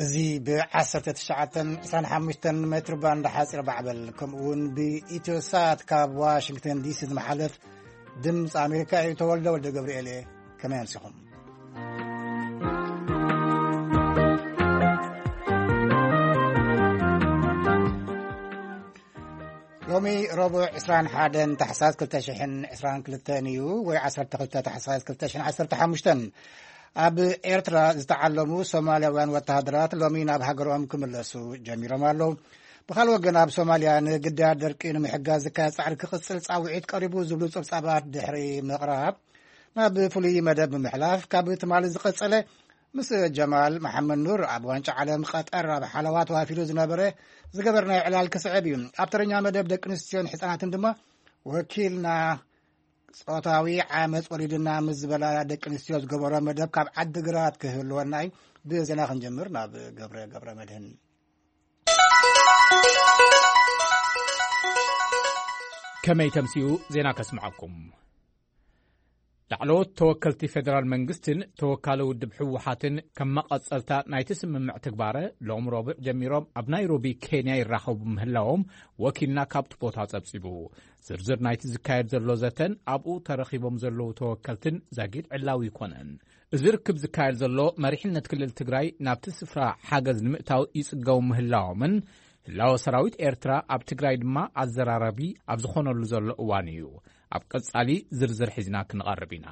እዚ ብ19 25 ሜትር ባንድ ሓፂር ማዕበል፣ ከምኡ እውን ብኢትዮ ሳት ካብ ዋሽንግተን ዲሲ ዝመሓለፍ ድምፂ ኣሜሪካ እዩ። ተወልደ ወልደ ገብርኤል እየ። ከመይ ኣምሲኹም? ሎሚ ረቡዕ 21 ታሕሳስ 2022 እዩ፣ ወይ 12 ታሕሳስ 2015። ኣብ ኤርትራ ዝተዓለሙ ሶማልያውያን ወተሃደራት ሎሚ ናብ ሃገሮም ክምለሱ ጀሚሮም ኣለዉ። ብኻልእ ወገን፣ ኣብ ሶማልያ ንግዳያት ደርቂ ንምሕጋዝ ዝካየድ ጻዕሪ ክቕጽል ጻውዒት ቀሪቡ ዝብሉ ጸብጻባት ድሕሪ ምቕራብ፣ ናብ ፍሉይ መደብ ብምሕላፍ፣ ካብ ትማሊ ዝቐጸለ ምስ ጀማል መሓመድ ኑር ኣብ ዋንጫ ዓለም ቀጠር ኣብ ሓለዋ ተዋፊሩ ዝነበረ ዝገበርናዮ ዕላል ክስዕብ እዩ። ኣብ ተረኛ መደብ ደቂ ኣንስትዮን ሕጻናትን ድማ፣ ወኪልና ጾታዊ ዓመጽ ወሪድና ምስ ዝበላ ደቂ ኣንስትዮ ዝገበሮ መደብ ካብ ዓዲግራት ክህልወና እዩ። ብዜና ክንጀምር ናብ ገብረ፣ ገብረ መድህን። ከመይ ተምሲኡ ዜና ከስምዓኩም። ላዕለዎት ተወከልቲ ፌደራል መንግስትን ተወካሊ ውድብ ህወሓትን ከም መቐጸልታ ናይቲ ስምምዕ ትግባረ ሎም ረቡዕ ጀሚሮም ኣብ ናይሮቢ ኬንያ ይራኸቡ ምህላዎም ወኪልና ካብቲ ቦታ ጸብጺቡ። ዝርዝር ናይቲ ዝካየድ ዘሎ ዘተን ኣብኡ ተረኺቦም ዘለዉ ተወከልትን ዛጊድ ዕላዊ ይኮነን። እዚ ርክብ ዝካየድ ዘሎ መሪሕነት ክልል ትግራይ ናብቲ ስፍራ ሓገዝ ንምእታው ይጽገሙ ምህላዎምን ህላወ ሰራዊት ኤርትራ ኣብ ትግራይ ድማ ኣዘራራቢ ኣብ ዝኾነሉ ዘሎ እዋን እዩ። ኣብ ቀጻሊ ዝርዝር ሒዝና ክንቐርብ ኢና።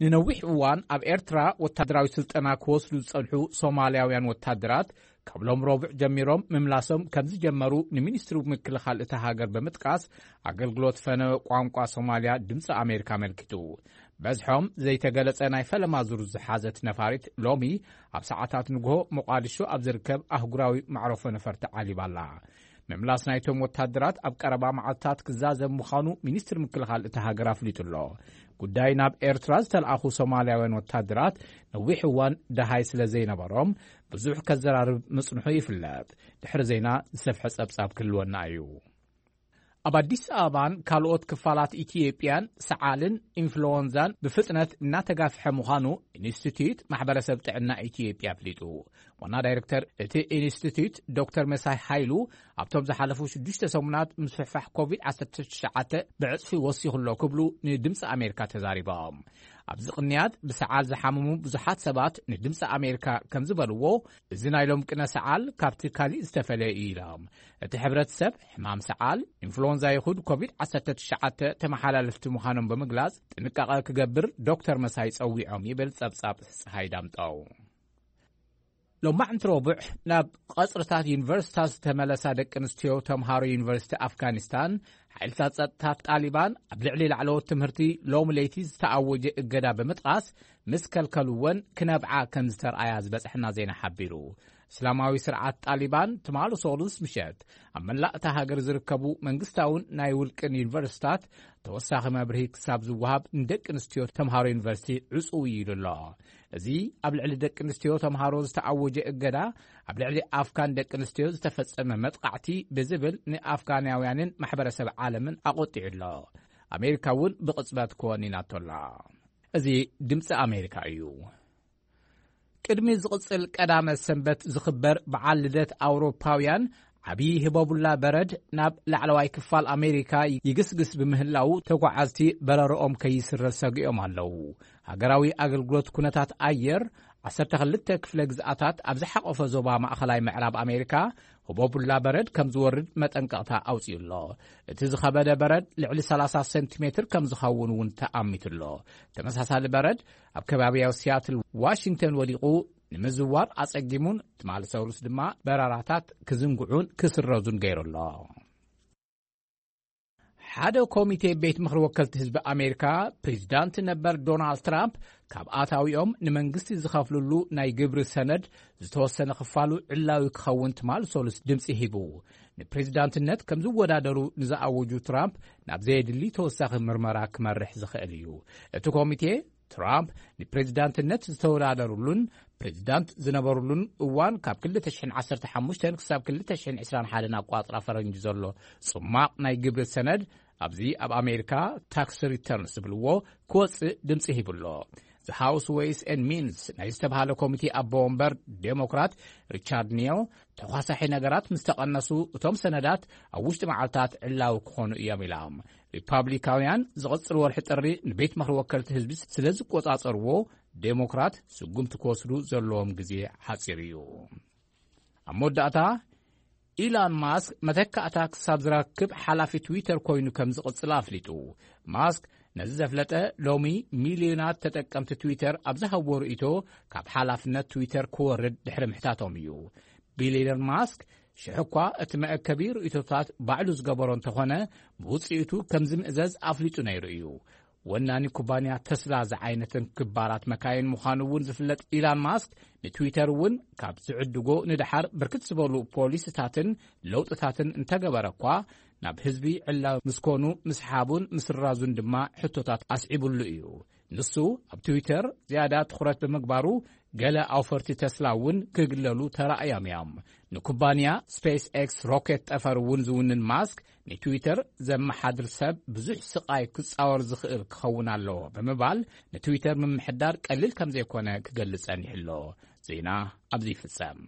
ንነዊሕ እዋን ኣብ ኤርትራ ወታደራዊ ስልጠና ክወስዱ ዝጸንሑ ሶማልያውያን ወታደራት ካብ ሎም ረቡዕ ጀሚሮም ምምላሶም ከም ዝጀመሩ ንሚኒስትሪ ምክልኻል እታ ሃገር ብምጥቃስ ኣገልግሎት ፈነወ ቋንቋ ሶማልያ ድምፂ ኣሜሪካ ኣመልኪቱ። በዝሖም ዘይተገለጸ ናይ ፈለማ ዙር ዝሓዘት ነፋሪት ሎሚ ኣብ ሰዓታት ንግሆ ሞቃዲሾ ኣብ ዝርከብ ኣህጉራዊ መዕረፎ ነፈርቲ ዓሊባ ኣላ። ምምላስ ናይቶም ወታደራት ኣብ ቀረባ መዓልታት ክዛዘም ምዃኑ ሚኒስትሪ ምክልኻል እታ ሃገር ኣፍሊጡ ኣሎ። ጉዳይ ናብ ኤርትራ ዝተለኣኹ ሶማልያውያን ወታደራት ነዊሕ እዋን ደሃይ ስለ ዘይነበሮም ብዙሕ ከዘራርብ ምጽንሑ ይፍለጥ። ድሕሪ ዜና ዝሰፍሐ ጸብጻብ ክህልወና እዩ። ኣብ ኣዲስ ኣበባን ካልኦት ክፋላት ኢትዮጵያን ሰዓልን ኢንፍሉወንዛን ብፍጥነት እናተጋፍሐ ምዃኑ ኢንስቲትዩት ማሕበረሰብ ጥዕና ኢትዮጵያ ኣፍሊጡ። ዋና ዳይሬክተር እቲ ኢንስቲትዩት ዶክተር መሳይ ሃይሉ፣ ኣብቶም ዝሓለፉ ሽዱሽተ ሰሙናት ምስፍሕፋሕ ኮቪድ-19 ብዕጽፊ ወሲኹ ኣሎ ክብሉ ንድምፂ ኣሜሪካ ተዛሪቦም። ኣብዚ ቅንያት ብሰዓል ዝሓመሙ ብዙሓት ሰባት ንድምፂ ኣሜሪካ ከም ዝበልዎ፣ እዚ ናይ ሎም ቅነ ሰዓል ካብቲ ካሊእ ዝተፈለየ እዩ ኢሎም። እቲ ሕብረተሰብ ሕማም ሰዓል፣ ኢንፍሉወንዛ ይኹን ኮቪድ-19 ተመሓላለፍቲ ምዃኖም ብምግላጽ ጥንቃቐ ክገብር ዶክተር መሳይ ጸዊዖም ይብል ጸብጻብ ፀሓይ ዳምጠው። ሎማዕንቲ ረቡዕ ናብ ቐጽርታት ዩኒቨርሲታት ዝተመለሳ ደቂ ኣንስትዮ ተምሃሮ ዩኒቨርሲቲ ኣፍጋኒስታን፣ ሓይልታት ጸጥታ ጣሊባን ኣብ ልዕሊ ላዕለዎት ትምህርቲ ሎሚ ለይቲ ዝተኣወጀ እገዳ ብምጥቓስ፣ ምስ ከልከልወን ክነብዓ ከም ዝተርኣያ ዝበጽሐና ዜና ሓቢሩ። እስላማዊ ስርዓት ጣሊባን ትማሊ ሶሉስ ምሸት ኣብ መላእ እታ ሃገር ዝርከቡ መንግስታውን ናይ ውልቅን ዩኒቨርሲታት ተወሳኺ መብርሂ ክሳብ ዝወሃብ ንደቂ ኣንስትዮ ተምሃሮ ዩኒቨርሲቲ ዕጹው እዩ ኢሉ ኣሎ። እዚ ኣብ ልዕሊ ደቂ ኣንስትዮ ተምሃሮ ዝተኣወጀ እገዳ ኣብ ልዕሊ ኣፍጋን ደቂ ኣንስትዮ ዝተፈጸመ መጥቃዕቲ ብዝብል ንኣፍጋናውያንን ማሕበረሰብ ዓለምን ኣቖጢዑ ኣሎ። ኣሜሪካ እውን ብቕጽበት ኮኒናቶ ኣላ። እዚ ድምፂ ኣሜሪካ እዩ። ቅድሚ ዝቕጽል ቀዳመ ሰንበት ዝኽበር በዓል ልደት ኣውሮፓውያን፣ ዓብዪ ህበቡላ በረድ ናብ ላዕለዋይ ክፋል ኣሜሪካ ይግስግስ ብምህላዉ፣ ተጓዓዝቲ በረርኦም ከይስረዝ ሰጊኦም ኣለዉ። ሃገራዊ ኣገልግሎት ኩነታት ኣየር፣ 12 ክፍለ ግዝኣታት ኣብ ዝሓቖፈ ዞባ ማእኸላይ ምዕራብ ኣሜሪካ፣ ህቦቡላ በረድ ከም ዝወርድ መጠንቀቕታ ኣውጺኡ ኣሎ። እቲ ዝኸበደ በረድ ልዕሊ 30 ሴንቲሜትር ከም ዝኸውን እውን ተኣሚቱ ኣሎ። ተመሳሳሊ በረድ ኣብ ከባቢያዊ ሲያትል ዋሽንግተን ወዲቑ ንምዝዋር ኣጸጊሙን፣ ትማሊ ሰሉስ ድማ በረራታት ክዝንግዑን ክስረዙን ገይሩ ኣሎ። ሓደ ኮሚቴ ቤት ምኽሪ ወከልቲ ህዝቢ ኣሜሪካ፣ ፕሬዚዳንት ነበር ዶናልድ ትራምፕ ካብ ኣታዊኦም ንመንግስቲ ዝኸፍልሉ ናይ ግብሪ ሰነድ ዝተወሰነ ክፋሉ ዕላዊ ክኸውን ትማል ሰሉስ ድምፂ ሂቡ። ንፕሬዚዳንትነት ከም ዝወዳደሩ ንዝኣወጁ ትራምፕ ናብ ዘየድሊ ተወሳኺ ምርመራ ክመርሕ ዝኽእል እዩ። እቲ ኮሚቴ ትራምፕ ንፕሬዚዳንትነት ዝተወዳደሩሉን ፕሬዚዳንት ዝነበሩሉን እዋን ካብ 2015 ክሳብ 2021 ኣቋፅራ ፈረንጂ ዘሎ ጽማቕ ናይ ግብሪ ሰነድ ኣብዚ ኣብ ኣሜሪካ ታክስ ሪተርንስ ዝብልዎ ክወፅእ ድምፂ ሂቡ ኣሎ። The House Ways and Means ናይ ዝተባሃለ ኮሚቴ ኣቦ ወንበር ዴሞክራት ሪቻርድ ኒዮ፣ ተኳሳሒ ነገራት ምስ ተቐነሱ፣ እቶም ሰነዳት ኣብ ውሽጢ መዓልታት ዕላዊ ክኾኑ እዮም ኢላ። ሪፓብሊካውያን ዝቕጽል ወርሒ ጥሪ ንቤት ምኽሪ ወከልቲ ህዝቢ ስለ ዝቆጻጸርዎ፣ ዴሞክራት ስጉምቲ ክወስዱ ዘለዎም ግዜ ሓጺር እዩ። ኣብ መወዳእታ፣ ኢላን ማስክ መተካእታ ክሳብ ዝረክብ ሓላፊ ትዊተር ኮይኑ ከም ዝቕጽል ኣፍሊጡ። ማስክ ነዚ ዘፍለጠ፣ ሎሚ ሚልዮናት ተጠቀምቲ ትዊተር ኣብ ዝሃብዎ ርእይቶ፣ ካብ ሓላፍነት ትዊተር ክወርድ ድሕሪ ምሕታቶም እዩ። ቢልዮነር ማስክ፣ ሽሕ እኳ እቲ መአከቢ ርእይቶታት ባዕሉ ዝገበሮ እንተኾነ፣ ብውጽኢቱ ከም ዝምእዘዝ ኣፍሊጡ ነይሩ እዩ። ወናኒ ኩባንያ ተስላ ዝዓይነትን ክባራት መካይን ምዃኑ እውን ዝፍለጥ ኢላን ማስክ፣ ንትዊተር እውን ካብ ዝዕድጎ ንደሓር ብርክት ዝበሉ ፖሊሲታትን ለውጥታትን እንተገበረ እኳ፣ ናብ ህዝቢ ዕላዊ ምስ ኮኑ ምስሓቡን ምስራዙን ድማ ሕቶታት ኣስዒቡሉ እዩ። ንሱ ኣብ ትዊተር ዝያዳ ትኹረት ብምግባሩ፣ ገለ ኣውፈርቲ ተስላ እውን ክግለሉ ተራእዮም እዮም። ንኩባንያ ስፔስ ኤክስ ሮኬት ጠፈር እውን ዝውንን ማስክ፣ ንትዊተር ዘመሓድር ሰብ ብዙሕ ስቓይ ክጻወር ዝኽእል ክኸውን ኣለዎ ብምባል፣ ንትዊተር ምምሕዳር ቀሊል ከም ዘይኮነ ክገልጽ ጸኒሑ ኣሎ። ዜና ኣብዚ ይፍጸም።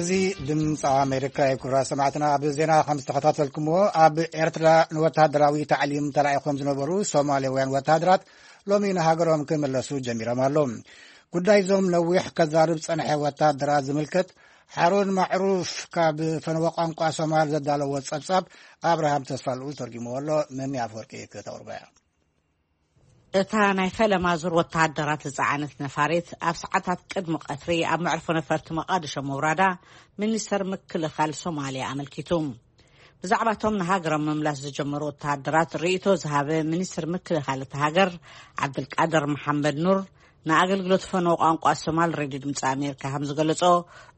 እዚ ድምፂ ኣሜሪካ እዩ። ክቡራት ሰማዕትና፣ ኣብ ዜና ከም ዝተኸታተልኩምዎ፣ ኣብ ኤርትራ ንወተሃደራዊ ታዕሊም ተላኢኾም ዝነበሩ ሶማሌውያን ወተሃደራት ሎሚ ንሃገሮም ክምለሱ ጀሚሮም ኣለዉ። ጉዳይ እዞም ነዊሕ ከዛርብ ጸንሐ ወተሃደራት ዝምልከት፣ ሓሩን ማዕሩፍ ካብ ፈነወ ቋንቋ ሶማል ዘዳለዎ ጸብጻብ ኣብርሃም ተስፋልኡል ተርጊምዎ ኣሎ። መሚ ኣፈወርቂ ክተቕርቦ እያ። እታ ናይ ፈለማ ዙር ወተሃደራት ዝጸዓነት ነፋሪት ኣብ ሰዓታት ቅድሚ ቀትሪ ኣብ መዕርፎ ነፈርቲ መቓድሾ ምውራዳ ሚኒስተር ምክልኻል ሶማልያ ኣመልኪቱ። ብዛዕባቶም ንሃገሮም ምምላስ ዝጀመሩ ወተሃደራት ርእይቶ ዝሃበ ሚኒስተር ምክልኻል እታ ሃገር ዓብድልቃድር መሓመድ ኑር ንኣገልግሎት ፈነወ ቋንቋ ሶማል ሬድዮ ድምፂ ኣሜሪካ ከም ዝገለጾ፣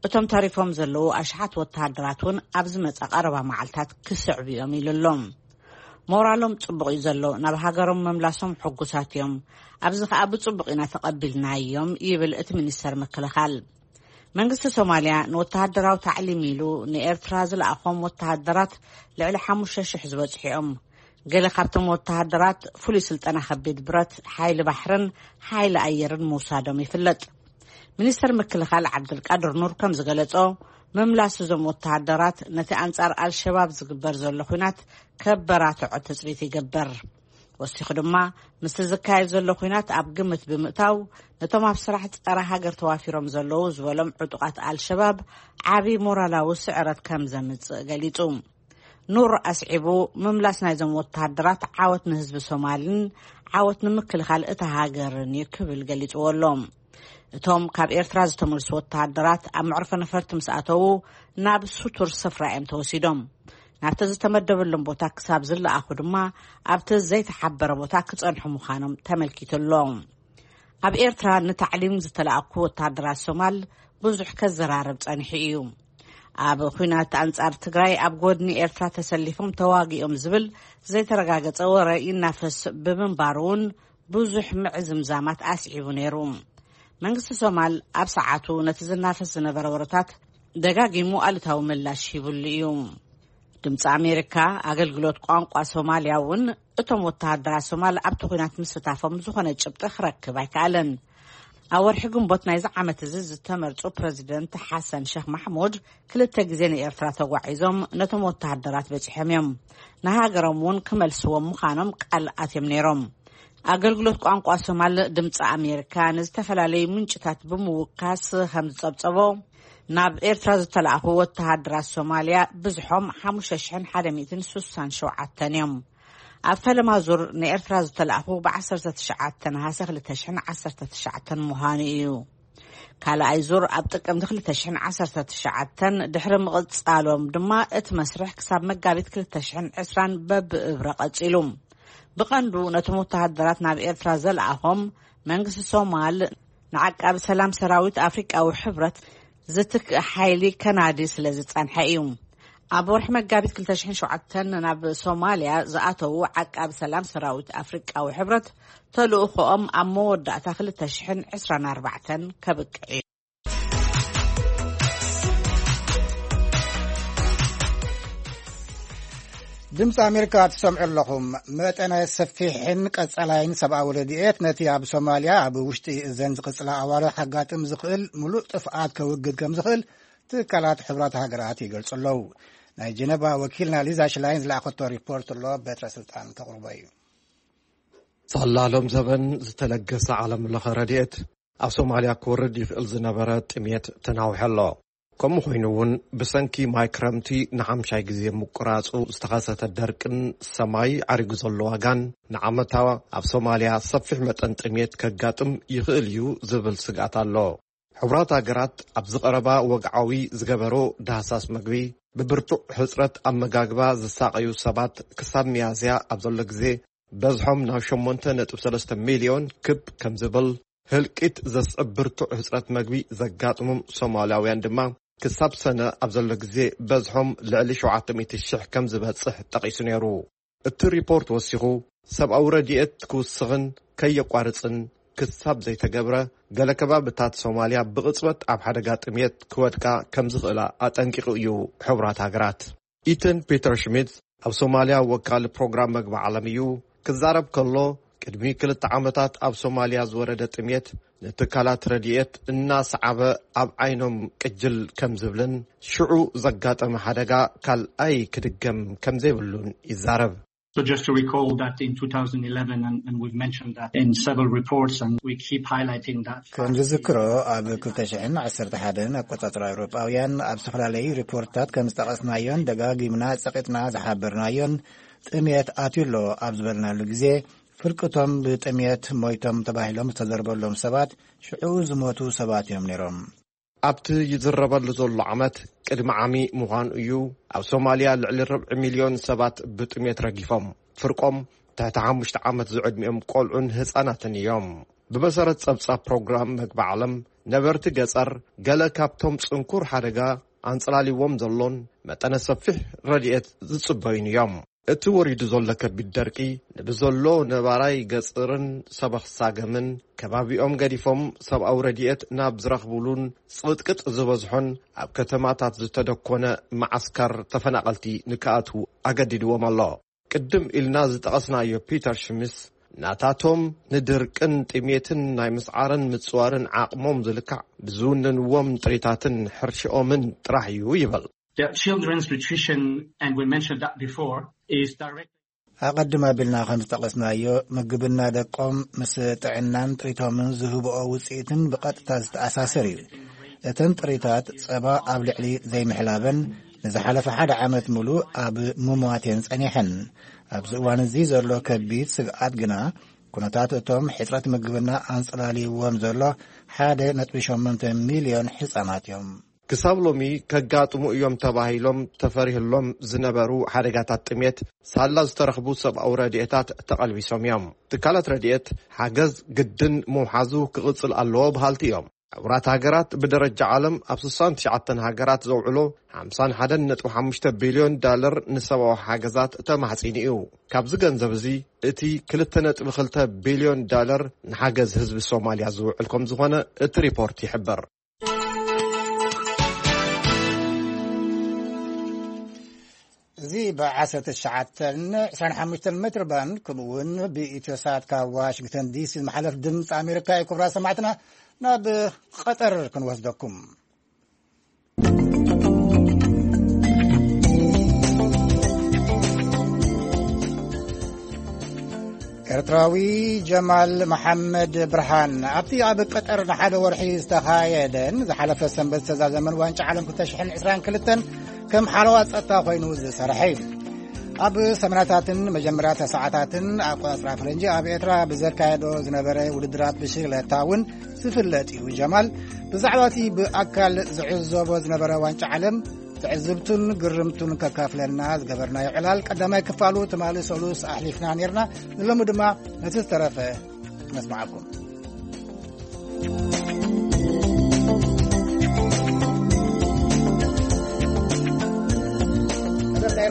እቶም ተሪፎም ዘለዉ ኣሽሓት ወተሃደራት እውን ኣብ ዝመጻ ቀረባ መዓልታት ክስዕቡ እዮም ኢሉ ኣሎ። ሞራሎም ጽቡቕ እዩ ዘሎ፣ ናብ ሃገሮም ምምላሶም ሕጉሳት እዮም። ኣብዚ ከኣ ብጽቡቕ ኢና ተቐቢልናዮም ይብል እቲ ሚኒስተር ምክልኻል። መንግስቲ ሶማልያ ንወተሃደራዊ ታዕሊም ኢሉ ንኤርትራ ዝለኣኾም ወተሃደራት ልዕሊ ሓሙሽተ ሽሕ ዝበጽሑ እዮም። ገለ ካብቶም ወተሃደራት ፍሉይ ስልጠና ከቢድ ብረት፣ ሓይሊ ባሕርን ሓይሊ ኣየርን ምውሳዶም ይፍለጥ። ሚኒስተር ምክልኻል ዓብዱልቃድር ኑር ከም ዝገለጾ፣ ምምላስ እዞም ወተሃደራት ነቲ ኣንጻር ኣልሸባብ ዝግበር ዘሎ ኹናት ከበራትዖ ትጽቢት ይገብር። ወሲኹ ድማ፣ ምስቲ ዝካየድ ዘሎ ኹናት ኣብ ግምት ብምእታው፣ ነቶም ኣብ ስራሕ ጸረ ሃገር ተዋፊሮም ዘለዉ ዝበሎም ዕጡቓት ኣልሸባብ ዓቢ ሞራላዊ ስዕረት ከም ዘምጽእ ገሊጹ። ኑር ኣስዒቡ፣ ምምላስ ናይዞም ወተሃደራት ዓወት ንህዝቢ ሶማልን ዓወት ንምክልኻል እታ ሃገርን እዩ ክብል ገሊጽዎ ኣሎ። እቶም ካብ ኤርትራ ዝተመልሱ ወተሃደራት ኣብ መዕርፎ ነፈርቲ ምስ ኣተዉ፣ ናብ ስቱር ስፍራ እዮም ተወሲዶም። ናብቲ ዝተመደበሎም ቦታ ክሳብ ዝለኣኹ ድማ፣ ኣብቲ ዘይተሓበረ ቦታ ክጸንሑ ምዃኖም ተመልኪቱ ኣሎ። ኣብ ኤርትራ ንታዕሊም ዝተለኣኩ ወተሃደራት ሶማል ብዙሕ ከዘራርብ ጸኒሑ እዩ። ኣብ ኹናት ኣንጻር ትግራይ ኣብ ጎድኒ ኤርትራ ተሰሊፎም ተዋጊኦም ዝብል ዘይተረጋገጸ ወረ ይናፈስ ብምንባሩ እውን ብዙሕ ምዕዝምዛማት ኣስዒቡ ነይሩ። መንግስቲ ሶማል ኣብ ሰዓቱ ነቲ ዝናፈስ ዝነበረ ወረታት ደጋጊሙ ኣሉታዊ ምላሽ ሂቡሉ እዩ። ድምፂ ኣሜሪካ ኣገልግሎት ቋንቋ ሶማልያ እውን እቶም ወተሃደራት ሶማል ኣብቲ ኹናት ምስታፎም ዝኾነ ጭብጢ ክረክብ ኣይከኣለን። ኣብ ወርሒ ግንቦት ናይዚ ዓመት እዚ ዝተመርጹ ፕረዚደንት ሓሰን ሸኽ ማሕሙድ ክልተ ግዜ ንኤርትራ ተጓዒዞም ነቶም ወተሃደራት በጺሖም እዮም። ንሃገሮም እውን ክመልስዎም ምዃኖም ቃል ኣትዮም ነይሮም። ኣገልግሎት ቋንቋ ሶማል ድምፂ ኣሜሪካ ንዝተፈላለዩ ምንጭታት ብምውካስ ከም ዝጸብጸቦ፣ ናብ ኤርትራ ዝተላእኹ ወተሃደራት ሶማልያ ብዝሖም ሓሙሽተ ሽሕን ሓደ ሚእትን ስሳን ሸውዓተን እዮም። ኣብ ፈለማ ዙር ንኤርትራ ዝተላእኹ ብ ዓሰርተ ትሽዓተ ነሃሰ ክልተ ሽሕን ዓሰርተ ትሽዓተን ምዃኑ እዩ። ካልኣይ ዙር ኣብ ጥቅምቲ ክልተ ሽሕን ዓሰርተ ትሽዓተን ድሕሪ ምቕጻሎም ድማ፣ እቲ መስርሕ ክሳብ መጋቢት ክልተ ሽሕን ዕስራን በብእብረ ቀጺሉ። ብቐንዱ ነቶም ወተሃደራት ናብ ኤርትራ ዘልኣኾም፣ መንግስቲ ሶማል ንዓቃቢ ሰላም ሰራዊት ኣፍሪቃዊ ሕብረት ዝትክእ ሓይሊ ከናዲ ስለ ዝጸንሐ እዩ። ኣብ ወርሒ መጋቢት ክልተ ሽሕን ሸውዓተን ናብ ሶማልያ ዝኣተዉ ዓቃቢ ሰላም ሰራዊት ኣፍሪቃዊ ሕብረት፣ ተልእኾኦም ኣብ መወዳእታ ክልተ ሽሕን ዕስራን ኣርባዕተን ከብቅዕ እዩ። ድምፂ ኣሜሪካ ትሰምዑ ኣለኹም። መጠነ ሰፊሕን ቀጻላይን ሰብኣዊ ረድኤት ነቲ ኣብ ሶማልያ ኣብ ውሽጢ እዘን ዝቕጽላ ኣዋርሕ ከጋጥም ዝኽእል ምሉእ ጥፍኣት ከውግድ ከም ዝኽእል ትካላት ሕቡራት ሃገራት ይገልጹ ኣለዉ። ናይ ጀነቫ ወኪልና ሊዛ ሽላይን ዝለኣኸቶ ሪፖርት ኣሎ፣ በትረ ስልጣን ተቕርቦ እዩ። ሳላ ሎም ዘበን ዝተለገሰ ዓለም ለኸ ረድኤት ኣብ ሶማልያ ክወርድ ይኽእል ዝነበረ ጥሜት ተናውሐ ኣሎ። ከምኡ ኮይኑ እውን ብሰንኪ ማይ ክረምቲ ንሓምሻይ ግዜ ምቁራጹ ዝተኸሰተ ደርቅን ሰማይ ዓሪጉ ዘሎ ዋጋን ንዓመታ ኣብ ሶማልያ ሰፊሕ መጠን ጥሜት ከጋጥም ይኽእል እዩ ዝብል ስግኣት ኣሎ። ሕቡራት ሃገራት ኣብዚ ቀረባ ወግዓዊ ዝገበሮ ዳህሳስ መግቢ ብብርቱዕ ሕጽረት ኣመጋግባ ዝሳቐዩ ሰባት ክሳብ ሚያዝያ ኣብ ዘሎ ግዜ በዝሖም ናብ ሸሞንተ ነጥቢ ሰለስተ ሚልዮን ክብ ከም ዝብል፣ ህልቂት ዘስዕብ ብርቱዕ ህጽረት መግቢ ዘጋጥሞም ሶማልያውያን ድማ ክሳብ ሰነ ኣብ ዘሎ ግዜ በዝሖም ልዕሊ ሸውዓተ ሚእቲ ሽሕ ከም ዝበጽሕ ጠቒሱ ነይሩ። እቲ ሪፖርት ወሲኹ፣ ሰብኣዊ ረድኤት ክውስኽን ከየቋርጽን ክሳብ ዘይተገብረ፣ ገለ ከባብታት ሶማልያ ብቕጽበት ኣብ ሓደጋ ጥሜት ክወድቃ ከም ዝኽእላ ኣጠንቂቑ እዩ። ሕቡራት ሃገራት። ኢተን ፒተር ሽሚት ኣብ ሶማልያ ወካሊ ፕሮግራም መግቢ ዓለም እዩ። ክዛረብ ከሎ፣ ቅድሚ ክልተ ዓመታት ኣብ ሶማልያ ዝወረደ ጥሜት ንትካላት ረድኤት እናሰዓበ ኣብ ዓይኖም ቅጅል ከም ዝብልን ሽዑ ዘጋጠመ ሓደጋ ካልኣይ ክድገም ከም ዘይብሉን ይዛረብ። So just to recall that in two thousand eleven, and, and we've mentioned that in several reports, and we keep highlighting that ከም fact. ዝዝክሮ፣ ኣብ ክልተ ሽሕን ዓሰርተ ሓደን ኣቆጻጽራ ኤውሮጳውያን ኣብ ዝተፈላለዩ ሪፖርትታት ከም ዝጠቐስናዮን ደጋጊምና ጸቒጥና ዝሓበርናዮን፣ ጥሜት ኣትዩ ኣሎ ኣብ ዝበልናሉ ግዜ፣ ፍርቅቶም ብጥሜት ሞይቶም ተባሂሎም ዝተዘርበሎም ሰባት ሽዑ ዝሞቱ ሰባት እዮም ነይሮም። ኣብቲ ይዝረበሉ ዘሎ ዓመት ቅድሚ ዓሚ ምዃኑ እዩ፣ ኣብ ሶማልያ ልዕሊ ርብዒ ሚልዮን ሰባት ብጥሜት ረጊፎም። ፍርቆም ትሕቲ ሓሙሽተ ዓመት ዝዕድሚኦም ቆልዑን ህጻናትን እዮም። ብመሰረት ጸብጻብ ፕሮግራም መግቢ ዓለም፣ ነበርቲ ገጸር ገለ ካብቶም ጽንኩር ሓደጋ ኣንጸላልይዎም ዘሎን መጠነ ሰፊሕ ረድኤት ዝጽበዩን እዮም። እቲ ወሪዱ ዘሎ ከቢድ ደርቂ ንብዘሎ ነባራይ ገጽርን ሰበኽ ሳገምን ከባቢኦም ገዲፎም ሰብኣዊ ረድኤት ናብ ዝረኽቡሉን ጽቕጥቅጥ ዝበዝሖን ኣብ ከተማታት ዝተደኮነ መዓስከር ተፈናቐልቲ ንክኣትዉ ኣገዲድዎም ኣሎ። ቅድም ኢልና ዝጠቐስናዮ ፒተር ሽሚስ፣ ናታቶም ንድርቅን ጥሜትን ናይ ምስዓርን ምጽዋርን ዓቕሞም ዝልካዕ ብዝውንንዎም ጥሪታትን ሕርሽኦምን ጥራሕ እዩ ይብል። The children's nutrition, and we mentioned that before, is direct. ኣቐድም ኣቢልና ከም ዝጠቐስናዮ፣ ምግብና ደቆም ምስ ጥዕናን ጥሪቶምን ዝህብኦ ውጽኢትን ብቐጥታ ዝተኣሳሰር እዩ። እተን ጥሪታት ጸባ ኣብ ልዕሊ ዘይምሕላበን ንዝሓለፈ ሓደ ዓመት ምሉእ ኣብ ምሟት እየን ጸኒሐን። ኣብዚ እዋን እዚ ዘሎ ከቢድ ስግኣት ግና፣ ኩነታት እቶም ሕጽረት ምግብና ኣንጸላልይዎም ዘሎ ሓደ ነጥቢ ሸሞንተ ሚልዮን ህጻናት እዮም። ክሳብ ሎሚ ከጋጥሙ እዮም ተባሂሎም ተፈሪህሎም ዝነበሩ ሓደጋታት ጥሜት፣ ሳላ ዝተረኽቡ ሰብኣዊ ረድኤታት ተቐልቢሶም እዮም። ትካላት ረድኤት ሓገዝ ግድን ምውሓዙ ክቕጽል ኣለዎ በሃልቲ እዮም። ሕቡራት ሃገራት ብደረጃ ዓለም ኣብ ስሳን ትሽዓተን ሃገራት ዘውዕሎ ሓምሳን ሓደን ነጥቢ ሓሙሽተ ቢልዮን ዳለር ንሰብኣዊ ሓገዛት ተማሕጺኑ እዩ። ካብዚ ገንዘብ እዚ እቲ ክልተ ነጥቢ ክልተ ቢልዮን ዳለር ንሓገዝ ህዝቢ ሶማልያ ዝውዕል ከም ዝኾነ እቲ ሪፖርት ይሕብር። እዚ ብ ዓሰርተ ትሽዓተን ዕስራን ሓሙሽተን ሜትር ባንድ፣ ከምኡ እውን ብኢትዮ ሳት ካብ ዋሽንግተን ዲሲ ዝመሓለፍ ድምፂ ኣሜሪካ እዩ። ክቡራት ሰማዕትና፣ ናብ ቀጠር ክንወስደኩም። ኤርትራዊ ጀማል መሓመድ ብርሃን ኣብቲ ኣብ ቀጠር ንሓደ ወርሒ ዝተኻየደን ዝሓለፈ ሰንበት ዝተዛዘመን ዋንጫ ዓለም ክልተ ሽሕን ዕስራን ክልተን ከም ሓለዋ ጸጥታ ኮይኑ ዝሰርሐ እዩ። ኣብ ሰመናታትን መጀመርያ ተስዓታትን ኣቆጻጽራ ፈረንጂ ኣብ ኤርትራ ብዘካየዶ ዝነበረ ውድድራት ብሽክለታ እውን ዝፍለጥ እዩ። ጀማል ብዛዕባ እቲ ብኣካል ዝዕዘቦ ዝነበረ ዋንጫ ዓለም ትዕዝብቱን ግርምቱን ከካፍለና ዝገበርናዮ ዕላል ቀዳማይ ክፋሉ ትማሊ ሰሉስ ኣሕሊፍና ነርና። ንሎሚ ድማ ነቲ ዝተረፈ ነስምዓኩም።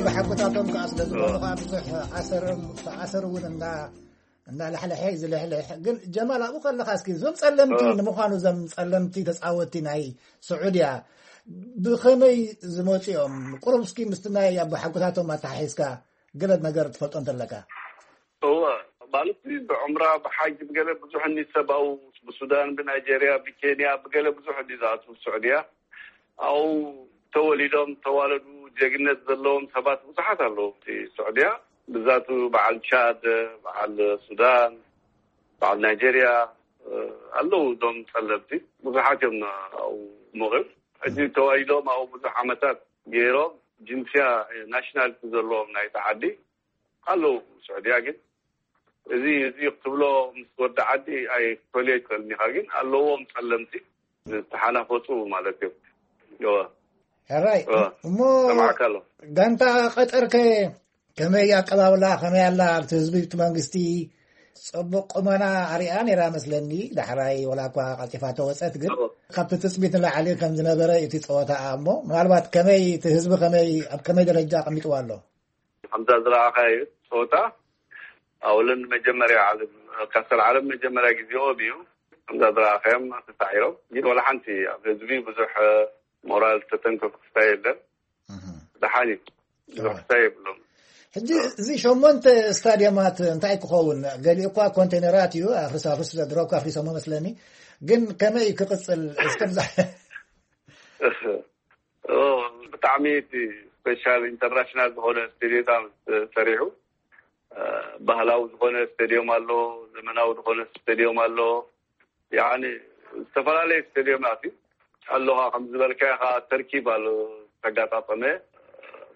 ብሓቁታቶም ከዓ ስለ ዝኾኑ ከዓ ብዙሕ ኣሰር እውን እንዳ እንዳላሕለሐ እዩ ዝልሕልሕ። ግን ጀማል፣ ኣብኡ ከለኻ እስኪ እዞም ጸለምቲ፣ እ። ንምዃኑ እዞም ጸለምቲ ተጻወትቲ ናይ ስዑድያ ብኸመይ ዝመጹ እዮም? ቁሩብ እስኪ ምስቲ ናይ ኣቦሓጎታቶም ኣተሓሒዝካ ገለ ነገር ትፈልጦ እንተለካ። እወ፣ ማለት ብዑምራ ብሓጅ ብገለ ብዙሕ እኒ ሰብኣዊ፣ ብሱዳን፣ ብናይጀርያ፣ ብኬንያ፣ ብገለ ብዙሕ እኒ ዝኣትዉ ስዑድያ። ኣብኡ ተወሊዶም ተዋለዱ፣ ጀግነት ዘለዎም ሰባት ብዙሓት ኣለዉ ኣብቲ ስዑድያ። ብዛቱ በዓል ቻድ፣ በዓል ሱዳን፣ በዓል ናይጀርያ ኣለዉ። እዞም ጸለምቲ ብዙሓት እዮም ኣብኡ ሞቒም። ሕጂ ተዋሊዶም ኣብኡ ብዙሕ ዓመታት ገይሮም ጅንስያ፣ ናሽናልቲ ዘለዎም ናይቲ ዓዲ ኣለዉ። ስዑድያ ግን እዚ እዚ ክትብሎ ምስ ወዲ ዓዲ ኣይክፈልዮ ይክእል ኢኻ፣ ግን ኣለዎም ጸለምቲ ዝተሓናፈጹ ማለት እዮም። እወ። ሕራይ እወ። እሞ ሰማዕካ ኣሎ። ጋንታ ቀጠርከ ከመይ ኣቀባብላ ከመይ ኣላ ኣብቲ ህዝቢ እቲ መንግስቲ? ጽቡቅ ቁመና ኣሪኣ ነይራ መስለኒ። ዳሕራይ ወላ እኳ ቀልጢፋ ተወጸት፣ ግን እወ። ካብቲ ትጽቢት ንላዕሊ ከም ዝነበረ እቲ ጸወታ እሞ ምናልባት ከመይ እቲ ህዝቢ ከመይ ኣብ ከመይ ደረጃ ኣቐሚጥዋ ኣሎ? ከምዛ ዝረኣኻዮ ጸወታ ኣውልን መጀመርያ ዓለም ካስተር ዓለም መጀመርያ ግዜኦም እዩ። ከምዛ ዝረኣኻዮም ተሳዒሮም፣ ግን ወላ ሓንቲ ኣብ ህዝቢ ብዙሕ ሞራል ተተንከፉ ክስታይ የለን። ደሓን እዩ። ብዙሕ ክስታይ የብሎም። ሕጂ እዚ ሸሞንተ ስታዲየማት እንታይ ክኸውን? ገሊኡ እኳ ኮንቴነራት እዩ፣ ኣፍርስ ኣፍርስ ድሮ እኳ ኣፍሪሶሞ መስለኒ። ግን ከመይ ክቕጽል እስከ ብዛ- ኦ፣ ብጣዕሚ እቲ ስፔሻል ኢንተርናሽናል ዝኾነ ስቴዲየም ተሰሪሑ። ባህላዊ ዝኾነ ስቴዲየም ኣሎ፣ ዘመናዊ ዝኾነ ስቴዲየም ኣሎ። ያኒ ዝተፈላለየ ስቴዲየማት እዩ። ኣሎኻ ከም ዝበልካዮ ከዓ ተርኪብ ኣሎ ዝተጋጣጠመ።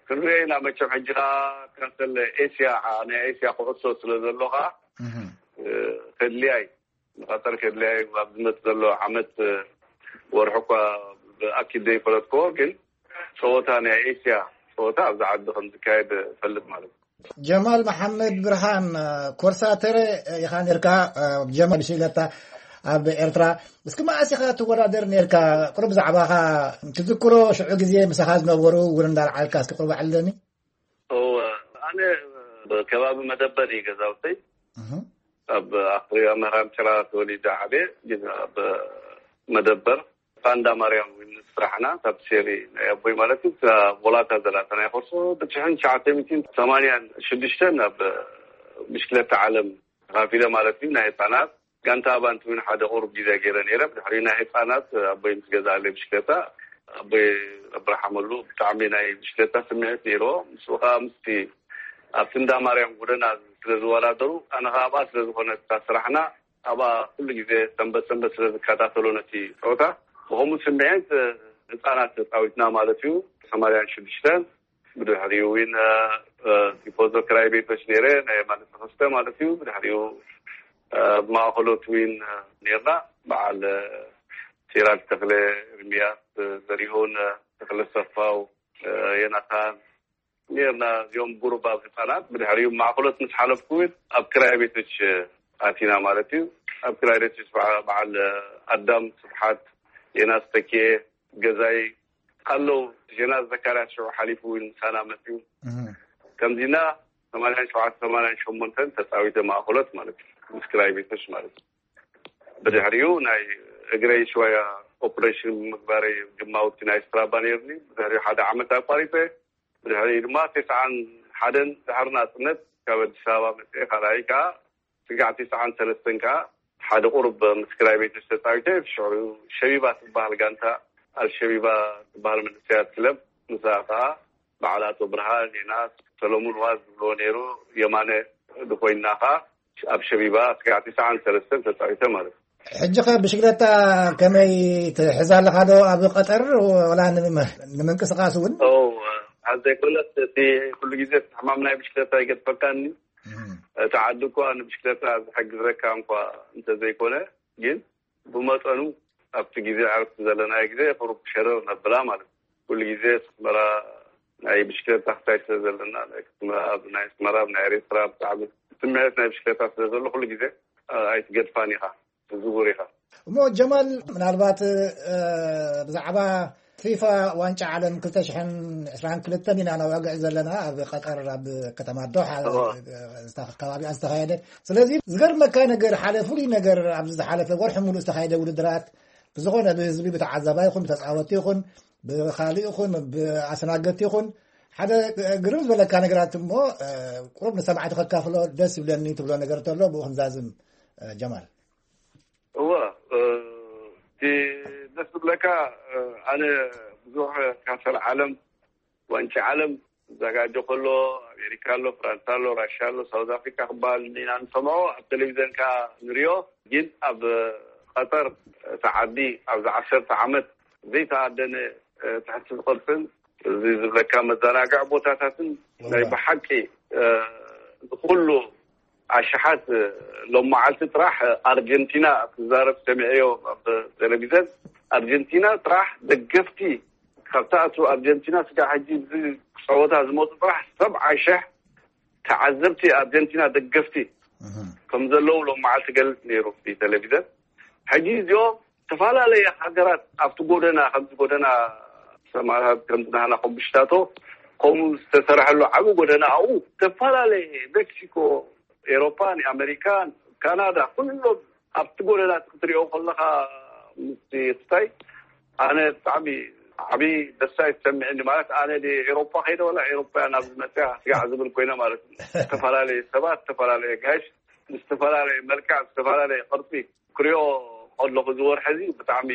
ክንሪኦ ኢና መቸም። ሕጂ ከዓ ካሰለ ኤስያ፣ ናይ ኤስያ ኩዕሶ ስለ ዘሎ ከዓ ከድልያ እዩ። ንቐጠር ከድልያ እዩ። ኣብ ዝመጽእ ዘሎ ዓመት ወርሒ እኳ ብኣኪድ ዘይፈለጥክዎ፣ ግን ጸወታ ናይ ኤስያ ጸወታ ኣብዚ ዓዲ ከም ዝካየድ እፈልጥ ማለት እዩ። ጀማል መሓመድ ብርሃን፣ ኮርሳተረ ኢኻ ነርካ። ጀማል ሽለታ ኣብ ኤርትራ እስኪ መኣስ ኢኻ ትወዳደር ነርካ? ቁሩብ ብዛዕባኻ ትዝክሮ? ሽዑ ግዜ ምሳኻ ዝነበሩ እውን እንዳልዓልካ እስኪ ቁሩብ ኣዕልለኒ። እወ፣ ኣነ ከባቢ መደበር እዩ ገዛውተይ። ኣብ ኣኽሪያ መራም ጭራ ተወሊደ ዓብየ፣ ግን ኣብ መደበር ፋንዳ ማርያም እውን ስራሕና ካብ ሴሪ ናይ ኣቦይ ማለት እዩ። እዛ ቦላታ ዘላታ ናይ ኮርሶ ብትሽሕን ትሽዓተ ሚእትን ሰማንያን ሽዱሽተን ኣብ ብሽክለታ ዓለም ተኻፊለ ማለት እዩ። ናይ ህፃናት ጋንታ ኣባንቲ እውን ሓደ ቁሩብ ግዜ ገይረ ነይረ። ብድሕሪ ናይ ህፃናት ኣቦይ ምስ ገዛለይ ብሽክለታ፣ ኣቦይ ኣብርሃመሉ ብጣዕሚ ናይ ብሽክለታ ስምዒት ነይርዎ። ምስኡ ከዓ ምስቲ ኣብቲ እንዳ ማርያም ጎደና ስለ ዝወዳደሩ፣ ኣነ ከዓ ኣብኣ ስለ ዝኾነ እታ ስራሕና፣ ኣብኣ ኩሉ ግዜ ሰንበት ሰንበት ስለ ዝከታተሎ ነቲ ፀወታ፣ ብኸምኡ ስምዒት ህፃናት ተፃዊትና ማለት እዩ። ሰማንያን ሽዱሽተን ብድሕሪኡ እውን ቲፎዞ ክራይ ቤቶች ነይረ፣ ናይ ማለት ተኸስተ ማለት እዩ። ብድሕሪኡ ኣብ ማእኸሎት እውን ነርና፣ በዓል ሲራጅ ተኽለ፣ ኤርሚያስ ዘሪሁን፣ ተኽለ ሰፋው፣ ዮናታን ነርና። እዚኦም ጉሩብ ኣብ ህፃናት። ብድሕሪኡ ማእኸሎት ምስ ሓለፍኩ እውን ኣብ ክራይ ቤቶች ኣቲና ማለት እዩ። ኣብ ክራይ ቤቶች በዓ- በዓል ኣዳም ስብሓት፣ ዮናስ ተኪኤ፣ ገዛይ ኣለዉ። ዮናስ ዘካርያስ ሽዑ ሓሊፉ እውን ምሳና መፅዩ። ከምዚና ሰማንያን ሸውዓተ ሰማንያን ሸሞንተን ተፃዊተ ማእኸሎት ማለት እዩ፣ ምስ ክራይ ቤቶች ማለት እዩ። ብድሕሪኡ ናይ እግረይ ሽወያ ኦፕሬሽን ምግባረይ ግማውቲ ናይ ስትራባ ነይርኒ። ብድሕሪኡ ሓደ ዓመት ኣቋሪፀ። ብድሕሪኡ ድማ ተስዓን ሓደን ድሕሪ ናፅነት ካብ ኣዲስ ኣበባ መፅአ። ካልኣይ ከዓ ስጋዕ ተስዓን ሰለስተን ከዓ ሓደ ቁሩብ ምስ ክራይ ቤቶች ተፃዊተ። ሽዑ ሸቢባ ትበሃል ጋንታ፣ ኣልሸቢባ ትበሃል መንእሰያት ክለብ፣ ምስኣ ከዓ በዓል ኣቶ ብርሃን፣ ዮናስ፣ ሰለሙን ዋዝ ዝብልዎ ነይሩ፣ የማነ ድኾይና ከዓ ኣብ ሸቢባ ስጋዕ ተስዓን ሰለስተን ተፃዊተ ማለት እዩ። ሕጂ ኸ ብሽክለታ ከመይ ትሕዝ ኣለኻ ዶ ኣብ ቀጠር ወላ ንም- ንምንቅስቃስ እውን? ኦ፣ ኣብ ዘይኮነስ እቲ ኩሉ ግዜ እቲ ሕማም ናይ ብሽክለታ ይገድፈካኒ። እቲ ዓዲ እኳ ንብሽክለታ ዝሕግዘካ እንኳ እንተዘይኮነ፣ ግን ብመጠኑ ኣብቲ ግዜ ዕረፍቲ ዘለናዮ ግዜ ቁሩብ ሸረር ነብላ ማለት እዩ። ኩሉ ግዜ ኣስመራ ናይ ብሽክለታ ክሳይ ስለ ዘለና፣ ናይ ኣስመራ፣ ኣብ ናይ ኣስመራ፣ ኣብ ናይ ኤርትራ ብጣዕሚ ስምዒት ናይ ብሽክለታ ስለ ዘሎ ኩሉ ግዜ ኣይትገድፋን ኢኻ፣ ትዝውር ኢኻ። እሞ ጀማል፣ ምናልባት ብዛዕባ ፊፋ ዋንጫ ዓለም ክልተ ሽሕን ዕስራን ክልተን ኢና ነዋግዕ ዘለና፣ ኣብ ቀጠር ኣብ ከተማ ዶሓ ከባቢኣ ዝተኻየደ። ስለዚ ዝገርመካ ነገር፣ ሓደ ፍሉይ ነገር ኣብዚ ዝሓለፈ ወርሒ ሙሉእ ዝተኻየደ ውድድራት ብዝኾነ ብህዝቢ፣ ብተዓዛባይ ይኹን ብተፃወትቲ ይኹን ብኻልእ ይኹን ብኣስተናገድቲ ይኹን ሓደ ግርም ዝበለካ ነገራት እሞ ቁሩብ ንሰማዕቲ ከካፍሎ ደስ ይብለኒ ትብሎ ነገር ተሎ ብኡ ክንዛዝም። ጀማል። እወ፣ እቲ ደስ ዝብለካ፣ ኣነ ብዙሕ ካሰል ዓለም፣ ዋንጫ ዓለም፣ ዘጋጆ ከሎ፣ ኣሜሪካ ኣሎ፣ ፍራንሳ ኣሎ፣ ራሽያ ኣሎ፣ ሳውዝ ኣፍሪካ ክበሃል ኢና ንሰምዖ፣ ኣብ ቴሌቪዘን ከኣ ንሪኦ። ግን ኣብ ቀጠር፣ እቲ ዓዲ ኣብዚ ዓሰርተ ዓመት ዘይተኣደነ ትሕቲ ዝቕርፅን እዚ ዝብለካ መዘናግዒ ቦታታትን ናይ ብሓቂ ንኩሉ ኣሽሓት ሎም መዓልቲ ጥራሕ ኣርጀንቲና ክዛረብ ሰሚዐዮ ኣብ ቴሌቪዘን። ኣርጀንቲና ጥራሕ ደገፍቲ ካብታ እቱ ኣርጀንቲና ስጋ ሕጂ እዚ ፀወታ ዝመፁ ጥራሕ ሰብዓ ሽሕ ተዓዘብቲ ኣርጀንቲና ደገፍቲ ከም ዘለዉ ሎም መዓልቲ ገልፅ ነይሩ ቴሌቪዘን። ሕጂ እዚኦም ዝተፈላለየ ሃገራት ኣብቲ ጎደና ከምዚ ጎደና ሰማራት ከምዚ ናህና ኮምብሽታቶ ከምኡ ዝተሰርሐሉ ዓብ ጎደና ኣብኡ ዝተፈላለየ ሜክሲኮ፣ ኤሮፓን ኣሜሪካን፣ ካናዳ ኩሎም ኣብቲ ጎደና ክትሪኦ ከለካ ምስ ክስታይ ኣነ ብጣዕሚ ዓብ ደስታ ይሰምዕኒ። ማለት ኣነ ኤሮፓ ከይደ ወላ ኤሮፓያ ናብ ዝመፅያ ስጋዕ ዝብል ኮይነ ማለት እዩ። ዝተፈላለየ ሰባት፣ ዝተፈላለየ ጋሽ ምስ ዝተፈላለየ መልክዕ፣ ዝተፈላለየ ቅርፂ ክሪኦ ከለኹ ዝወርሒ እዚ ብጣዕሚ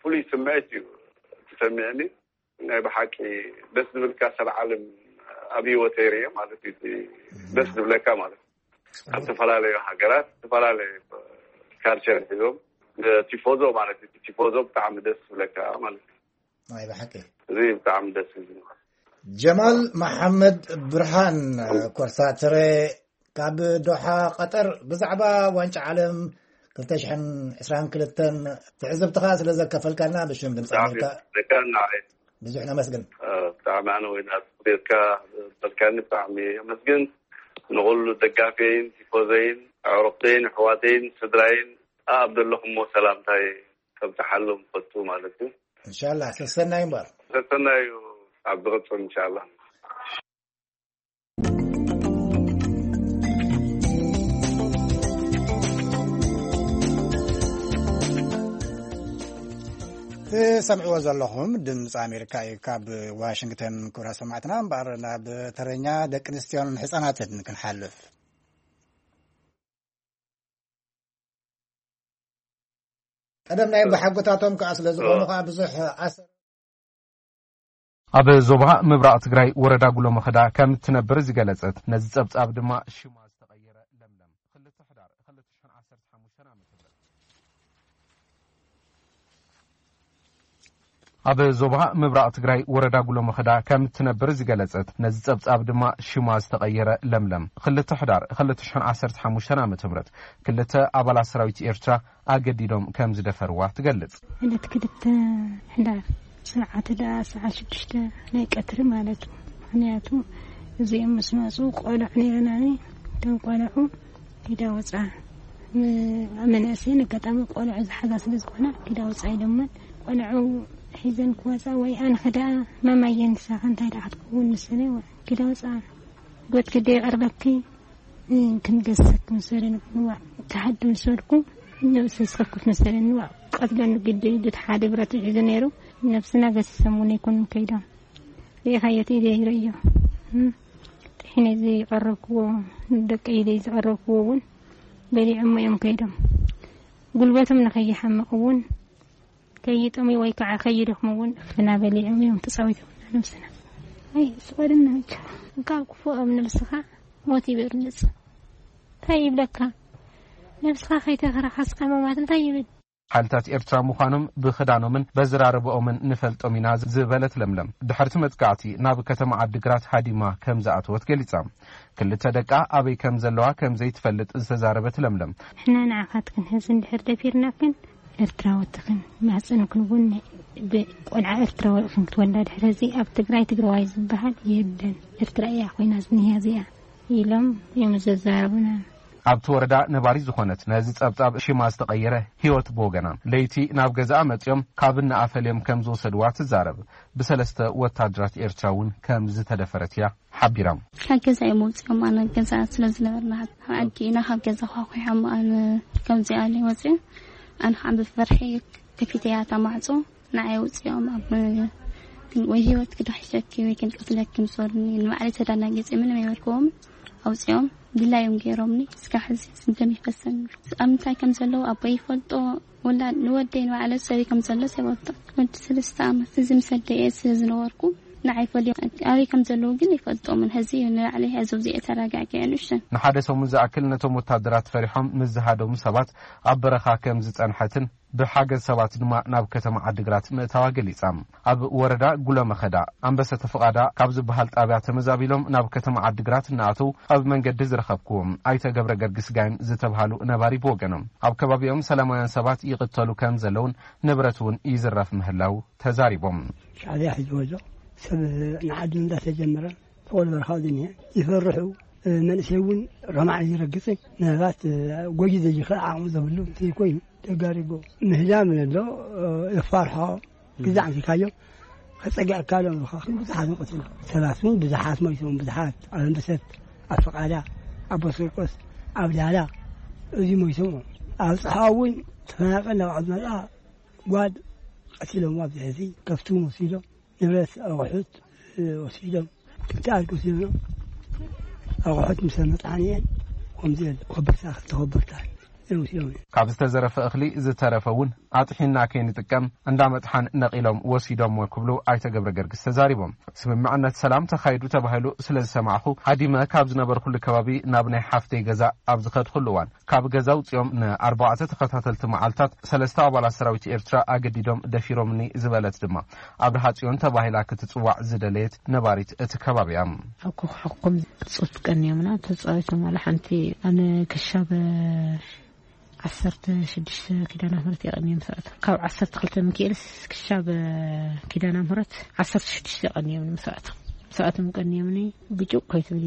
ፍሉይ ስምዒት እዩ ዝሰምዕኒ። ናይ ብሓቂ ደስ ዝብል ካሰል ዓለም ኣብ ህይወተይ ርየ ማለት እዩ። ደስ ዝብለካ ማለት ካብ ዝተፈላለዩ ሃገራት ዝተፈላለየ ካልቸር ሒዞም ቲፎዞ ማለት እዩ። ቲፎዞ ብጣዕሚ ደስ ዝብለካ ማለት እዩ። ናይ ብሓቂ እዚ ብጣዕሚ ደስ ዝብል። ጀማል መሓመድ ብርሃን ኮርሳትረ ካብ ዶሓ ቀጠር ብዛዕባ ዋንጫ ዓለም ክልተ ሽሕን ዕስራን ክልተን ትዕዝብትኻ ስለ ዘከፈልካና ብሽም ድምፂ ኣሜሪካ ደካ ንዓይ ብዙሕ ነመስግን። ብጣዕሚ ኣነ ወይ ናትካ በልካኒ ብጣዕሚ የመስግን። ንኩሉ ደጋፊየይን ቲፎዘይን ኣዕሩኽተይን ኣሕዋተይን ስድራይን ኣብ ዘለኹሞ ሰላምታይ ከብፅሓሎም ፈቱ ማለት እዩ። እንሻላ ሰሰናይ እምበር። ሰሰናይ እዩ ኣብ ዝቕፅል እንሻላ። ትሰምዕዎ ዘለኹም ድምፂ ኣሜሪካ እዩ ካብ ዋሽንግተን። ክብራ ሰማዕትና እምበኣር ናብ ተረኛ ደቂ ኣንስትዮን ህፃናትን ክንሓልፍ። ቀደም ናይ ብሓጎታቶም ከዓ ስለ ዝኾኑ ከዓ ብዙሕ ኣሰር ኣብ ዞባ ምብራቕ ትግራይ ወረዳ ጉሎ መኸዳ ከም እትነብር ዝገለጸት ነዚ ጸብጻብ ድማ ሽማ ዝተቐየረ ለምለም ክልተ ሕዳር ክልተ ሽሕን ዓሰርተ ሓሙሽተን ዓመተ ምህረት ኣብ ዞባ ምብራቕ ትግራይ ወረዳ ጉሎ መኸዳ ከም እትነብር ዝገለጸት ነዚ ጸብጻብ ድማ ሽማ ዝተቐየረ ለምለም ክልተ ሕዳር ክልተ ሽሕን ዓሰርተ ሓሙሽተን ዓመተ ምህረት ክልተ ኣባላት ሰራዊት ኤርትራ ኣገዲዶም ከም ዝደፈርዋ ትገልጽ። ዕለት ክልተ ሕዳር ሰዓት ደኣ ሰዓት ሽዱሽተ ናይ ቀትሪ ማለት እዩ። ምኽንያቱ እዚኦም ምስ መፁ ቆልዑ ነይረናኒ። እቶም ቆልዑ ኪዳ ወፃ። ም- መናእሰይን ኣጋጣሚ ቆልዑ ዝሓዛ ስለ ዝኾና ኪዳ ወፃ ኢሎመን። ቆልዑ ሒዘን ክወፃ ወይ ኣነ ኸደኣ ማማየን ንሳኻ እንታይ ደኣ ክትከውን ምስለ ኪዳ ወፃ። ጎት ግደ ይቐርበኪ ክንገሰክ መሰለን ንዋዕ ክሓዱ ምስ በልኩ ነብሰ ዝኸፍት መሰለን ንዋዕ ቀትለን ግዲ ድት ሓደ ብረት ሒዙ ነይሩ። ነብስና ገሲሶም እውን ኣይኮኑን ከይዶም ርኢኻዮ እቲ ኢደ ይረዮ። ጥሒነ ዝቐረብክዎ ንደቂ ኢደይ ዝቐረብክዎ እውን በሊዖሞ እዮም ከይዶም። ጉልበቶም ንኸይሓምቕ እውን ከይጠምዩ ወይ ከዓ ከይደኽሙ እውን እፍና በሊዖም እዮም ተፃዊቶም ነብስና። ኣይ ስቆድና ብቻ ካብ ክፉኦም ነብስኻ ሞት ይበርልፅ። እንታይ ይብለካ ነብስኻ ከይተኸራኸስካ ምማት እንታይ ይብል? ሓይልታት ኤርትራ ምዃኖም ብኽዳኖምን በዝራርብኦምን ንፈልጦም ኢና ዝበለት ለምለም፣ ድሕርቲ መጥቃዕቲ ናብ ከተማ ዓዲግራት ሃዲማ ከም ዝኣተወት ገሊጻ። ክልተ ደቃ ኣበይ ከም ዘለዋ ከም ዘይትፈልጥ ዝተዛረበት ለምለም፣ ንሕና ንዓኻትክን ሕዚ እንድሕር ደፊርናክን ኤርትራወትክን ማህፀንክን እውን ብቆልዓ ኤርትራዊ ኢኽን ክትወልዳ። ድሕሪ እዚ ኣብ ትግራይ ትግራዋይ ዝበሃል የለን። ኤርትራ እያ ኮይና ዝኒሃ እዚኣ ኢሎም እዮም ዘዛረቡና። ኣብቲ ወረዳ ነባሪት ዝኾነት ነዚ ጸብጻብ ሽማ ዝተቐየረ ህይወት ብወገና፣ ለይቲ ናብ ገዛኣ መጺኦም ካብ እናኣፈልዮም ከም ዝወሰድዋ ትዛረብ። ብሰለስተ ወታደራት ኤርትራ እውን ከም ዝተደፈረት እያ ሓቢራ። ካብ ገዛ እዮም ኣውፂኦም ኣነ ገዛ ስለ ዝነበርና ኣብ ዓዲ ኢና ካብ ገዛ ኳኩሖም ኣነ ከምዚኣ ኣለይ ወፂኦም ኣነ ከዓ ብፍርሒ ከፊተ እያ እታ ማዕፆ ንዓይ ኣውፂኦም ኣብ ወይ ህይወት ክዳሕሸኪ ወይ ክንቅትለኪ ምስ ወርኒ ንባዕለይ ተዳናጊፀ ምንም ኣይበልክዎም። ኣውፅኦም ድላዮም ገይሮምኒ እስካ ሕዚ ስንተም ይፈሰን ኣሎ። ኣብ ምንታይ ከም ዘለዉ ኣቦይ ይፈልጦ። ወላ ንወደይ ንባዕለ ሰበይ ከም ዘሎ ይፈልጦ። ወዲ ሰለስተ ዓመት እዚ ምስ ኣደየ ስለ ዝነበርኩ ንዓይ ፈልዮም ኣበይ ከም ዘለዉ ግን ይፈልጦምን። ሕዚ ንባዕለይ ሕዚ ኣብዚኤ ተረጋጊዐ ንእሽተን። ንሓደ ሰሙን ዝኣክል ነቶም ወታደራት ፈሪሖም ምስ ዝሃደሙ ሰባት ኣብ በረኻ ከም ዝጸንሐትን ብሓገዝ ሰባት ድማ ናብ ከተማ ዓዲግራት ምእታዋ ገሊጻ። ኣብ ወረዳ ጉለመኸዳ ኣንበሰ ተፍቓዳ ካብ ዝበሃል ጣብያ ተመዛቢሎም ናብ ከተማ ዓዲግራት እናኣተው ኣብ መንገዲ ዝረኸብኩዎም ኣይተ ገብረ ገርግስ ጋይም ዝተብሃሉ ነባሪ ብወገኖም ኣብ ከባቢኦም ሰላማውያን ሰባት ይቕተሉ ከም ዘለውን ንብረት እውን ይዝረፍ ምህላው ተዛሪቦም። ሻዕብያ ሒዝዎ ኣሎ። ሰብ ንዓዱ እንዳተጀመረ ተቆል በረኻ ዝኒሀ ይፈርሑ። መንእሰይ እውን ረማዕ ይረግጽ። ምናልባት ጎጂ ዘይኽእል ዓቕሚ ዘብሉ እንተይኮይኑ ተጋሪጎ ምህዳም ኣሎ። የፋርሖ ግዛዕ እንኪካዮ ከጸግዐካ ሎም ኢኻ። ብዙሓት መቆት ሰባት እውን ብዙሓት ሞይቶም፣ ብዙሓት ኣብ ኣንበሰት፣ ኣብ ፍቓዳ፣ ኣብ ቦስርቆስ፣ ኣብ ዳላ እዚ ሞይቶም። ኣብ ጽሓ እውን ተፈናቀል ናብ ዓዱ መጣ ጓድ ቀቲሎም ኣብዚ ሕዚ ከፍቱ ወሲዶም ንብረት ኣቑሑት ወሲዶም። ክልተ ኣድጊ ወሲዶም። ኣቑሑት ምስ መጥሓኒአን ከምዚ የለ ኮበርታ ክልተ ኮበርታ እዮም ወሲዶም። ካብ ዝተዘረፈ እኽሊ ዝተረፈ እውን ኣጥሒና ከይንጥቀም እንዳመጥሓን ነቒሎም ወሲዶምዎ ክብሉ ኣይተ ገብረ ገርግስ ተዛሪቦም። ስምምዕነት ሰላም ተኻይዱ ተባሂሉ ስለ ዝሰማዕኹ ሃዲመ ካብ ዝነበርኩሉ ከባቢ ናብ ናይ ሓፍተይ ገዛ ኣብ ዝኸድኩሉ እዋን ካብ ገዛ ኣውጺኦም ንኣርባዕተ ተኸታተልቲ መዓልታት ሰለስተ ኣባላት ሰራዊት ኤርትራ ኣገዲዶም ደፊሮምኒ ዝበለት ድማ ኣብርሃ ጽዮን ተባሂላ ክትጽዋዕ ዝደለየት ነባሪት እቲ ከባቢ እያ። ኣብ ኮኾሕኩም ጾት ቀንዮምና ተጻዊቶም ዋላ ሓንቲ ኣነ ክሻብ ዓሰርተ ሽዱሽተ ኪዳነ ምሕረት የቐንዮም ሰዓት ካብ ዓሰርተ ክልተ ሚካኤልስ ክሻብ ኪዳነ ምሕረት ዓሰርተ ሽዱሽተ የቐንዮም ሰዓት ሰዓቶም ቀንዮምኒ ብጭቕ ከይትብሊ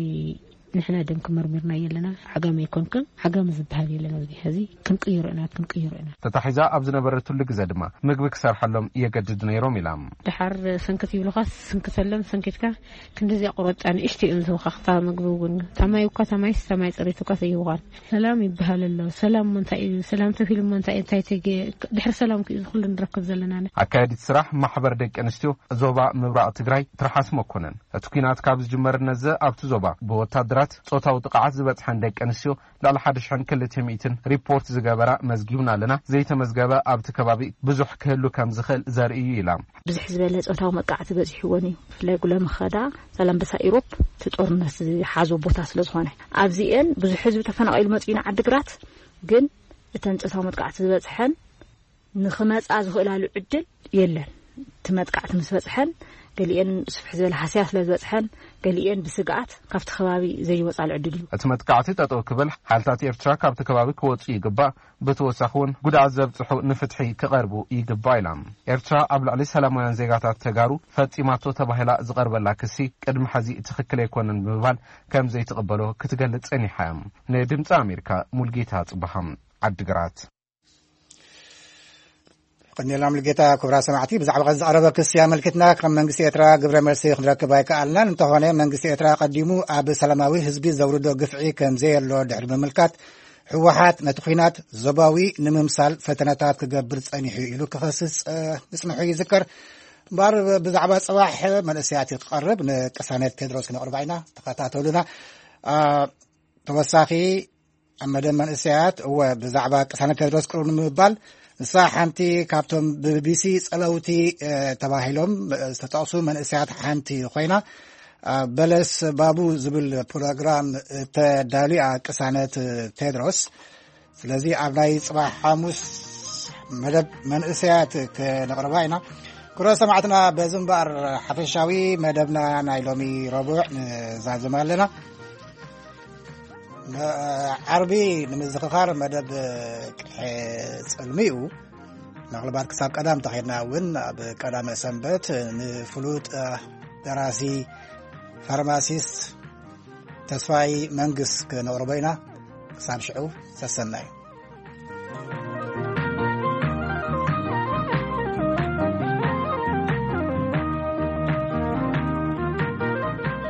ንሕና ደም ክመርሚርና የለና። ዓጋመ ኣይኮንክን ዓጋመ ዝበሃል የለን። ኣብዚ ሕዚ ክንቅይሮ ኢና ክንቅይሮ ኢና። ተታሒዛ ኣብ ዝነበረትሉ ግዜ ድማ ምግቢ ክሰርሐሎም የገድድ ነይሮም ኢላ። ድሓር ሰንክት ይብሉኻ ስንክተሎም ሰንኪትካ ክንድዚኣ ቁረጫ ንእሽቶ እዮም ዝህቡኻ። ክታ ምግቢ እውን ታማይ እኳ ታማይስ ታማይ ፅሬት እኳ ዘይህቡኻን። ሰላም ይበሃል ኣሎ። ሰላም እሞ እንታይ እዩ? ሰላም ተፊሉ እሞ እንታይ እንታይ ተገ ድሕሪ ሰላም ክዩ ዝኩሉ ንረክብ ዘለና። ኣካየዲት ስራሕ ማሕበር ደቂ ኣንስትዮ ዞባ ምብራቕ ትግራይ ትርሓስ መኮነን እቲ ኲናት ካብ ዝጅመር ነዘ ኣብቲ ዞባ ብወታደራት ጾታዊ ጥቕዓት ዝበጽሐን ደቂ ኣንስትዮ ልዕሊ ሓደ ሽሕን ክልተ ሚእትን ሪፖርት ዝገበራ መዝጊብና ኣለና። ዘይተመዝገበ ኣብቲ ከባቢ ብዙሕ ክህሉ ከም ዝኽእል ዘርኢ እዩ ኢላ። ብዝሕ ዝበለ ጾታዊ መጥቃዕቲ በጺሕወን እዩ። ብፍላይ ጉለመኸዳ ዛላምበሳ ኢሮፕ እቲ ጦርነት ዝሓዞ ቦታ ስለ ዝኾነ ኣብዚኤን ብዙሕ ህዝቢ ተፈናቒሉ መጺኡ ንዓዲግራት ግን እተን ጾታዊ መጥቃዕቲ ዝበጽሐን ንኽመጻ ዝኽእላሉ ዕድል የለን። እቲ መጥቃዕቲ ምስ በጽሐን ገሊኤን ስፍሕ ዝበለ ሃስያ ስለ ዝበጽሐን ገሊኤን ብስግኣት ካብቲ ከባቢ ዘይወጻሉ ዕድል እዩ። እቲ መጥቃዕቲ ጠጠው ክብል ሓይልታት ኤርትራ ካብቲ ከባቢ ክወጹ ይግባእ። ብተወሳኺ እውን ጉድኣት ዘብጽሑ ንፍትሒ ክቐርቡ ይግባእ ኢላ። ኤርትራ ኣብ ልዕሊ ሰላማውያን ዜጋታት ተጋሩ ፈጺማቶ ተባሂላ ዝቐርበላ ክሲ ቅድሚ ሕዚ ትኽክል ኣይኮነን ብምባል ከም ዘይትቕበሎ ክትገልጽ ጸኒሓ እያ። ንድምፂ ኣሜሪካ ሙልጌታ ጽባሃ ዓድግራት። ቀኒልና ሙልጌታ። ክቡራት ሰማዕቲ ብዛዕባ ቀዚ ዝቐረበ ክሲ ኣመልኪትና ከም መንግስቲ ኤርትራ ግብረ መልሲ ክንረክብ ኣይከኣልናን። እንተኾነ መንግስቲ ኤርትራ ኣቐዲሙ ኣብ ሰላማዊ ህዝቢ ዘውርዶ ግፍዒ ከም ዘየሎ ድሕሪ ምምልካት ህወሓት ነቲ ኲናት ዞባዊ ንምምሳል ፈተነታት ክገብር ጸኒሑ ኢሉ ክኸስስ ምጽንሑ ይዝከር። እምበኣር ብዛዕባ ጽባሕ መንእሰያት ክቐርብ ንቅሳነት ቴድሮስ ክነቕርባ ኢና። ተኸታተሉና። ተወሳኺ ኣብ መደብ መንእሰያት እወ ብዛዕባ ቅሳነት ቴድሮስ ቅርብ ንምባል ንሳ ሓንቲ ካብቶም ብቢቢሲ ጸለውቲ ተባሂሎም ዝተጠቕሱ መንእሰያት ሓንቲ ኮይና በለስ ባቡ ዝብል ፕሮግራም ተዳልያ ቅሳነት ቴድሮስ። ስለዚ ኣብ ናይ ጽባሕ ሓሙስ መደብ መንእሰያት ክነቕርባ ኢና። ክቡራት ሰማዕትና በዚ እምበኣር ሓፈሻዊ መደብና ናይ ሎሚ ረቡዕ ንዛዝም ኣለና። ዓርቢ ንምዝኽኻር መደብ ቅድሐ ጽልሚ እዩ። ምናልባት ክሳብ ቀዳም እንተኸድና እውን ኣብ ቀዳመ ሰንበት ንፍሉጥ ደራሲ ፋርማሲስት ተስፋይ መንግስ ክነቕርቦ ኢና። ክሳብ ሽዑ ሰሰናዩ።